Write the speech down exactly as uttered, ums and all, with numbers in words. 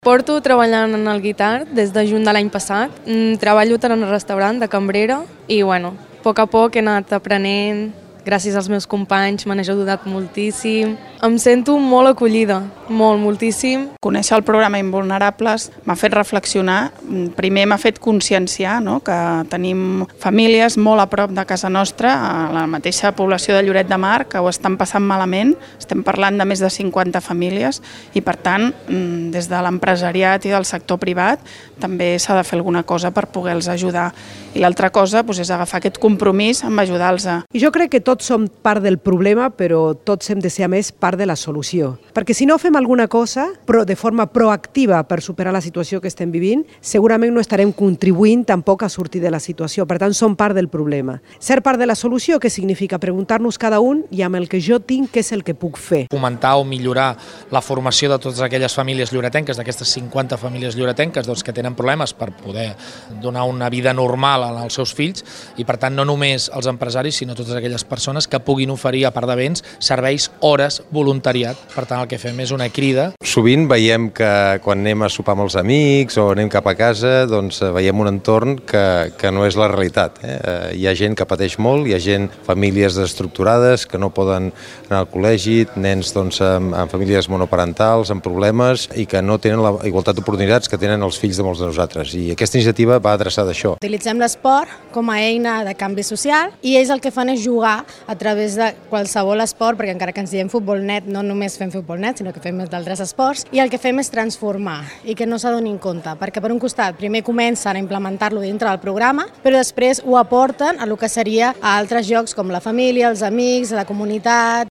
Porto treballant en el guitar des de juny de l'any passat. Treballo tant en el restaurant de cambrera i, bueno, a poc a poc he anat aprenent. Gràcies als meus companys m'han ajudat moltíssim. Em sento molt acollida, molt, moltíssim. Conèixer el programa Invulnerables m'ha fet reflexionar. Primer m'ha fet conscienciar, no?, que tenim famílies molt a prop de casa nostra, a la mateixa població de Lloret de Mar, que ho estan passant malament. Estem parlant de més de cinquanta famílies i, per tant, des de l'empresariat i del sector privat també s'ha de fer alguna cosa per poder-los ajudar. I l'altra cosa doncs, és agafar aquest compromís amb ajudar-los. I jo crec que tots som part del problema, però tots hem de ser, a més, part de la solució. Perquè si no fem alguna cosa però de forma proactiva per superar la situació que estem vivint, segurament no estarem contribuint tampoc a sortir de la situació. Per tant, som part del problema. Ser part de la solució, què significa? Preguntar-nos cada un i amb el que jo tinc, què és el que puc fer. Fomentar o millorar la formació de totes aquelles famílies lloretenques, d'aquestes cinquanta famílies lloretenques doncs, que tenen problemes per poder donar una vida normal als seus fills i, per tant, no només els empresaris, sinó totes aquelles persones que puguin oferir, a part de béns, serveis, hores, voluntariat. Per tant, el que fem és una crida. Sovint veiem que quan anem a sopar amb els amics o anem cap a casa, doncs veiem un entorn que, que no és la realitat. Eh? Hi ha gent que pateix molt, hi ha gent, famílies desestructurades, que no poden anar al col·legi, nens doncs, amb, amb famílies monoparentals, amb problemes i que no tenen la igualtat d'oportunitats que tenen els fills de molts de nosaltres. I aquesta iniciativa va adreçada a això. Utilitzem l'esport com a eina de canvi social i ells el que fan és jugar a través de qualsevol esport, perquè encara que ens diem futbol net, no només fem futbol net, sinó que fem d'altres esports, i el que fem és transformar i que no s'adonin compte, perquè per un costat primer comencen a implementar-lo dintre del programa, però després ho aporten a el que seria a altres llocs com la família, els amics, la comunitat.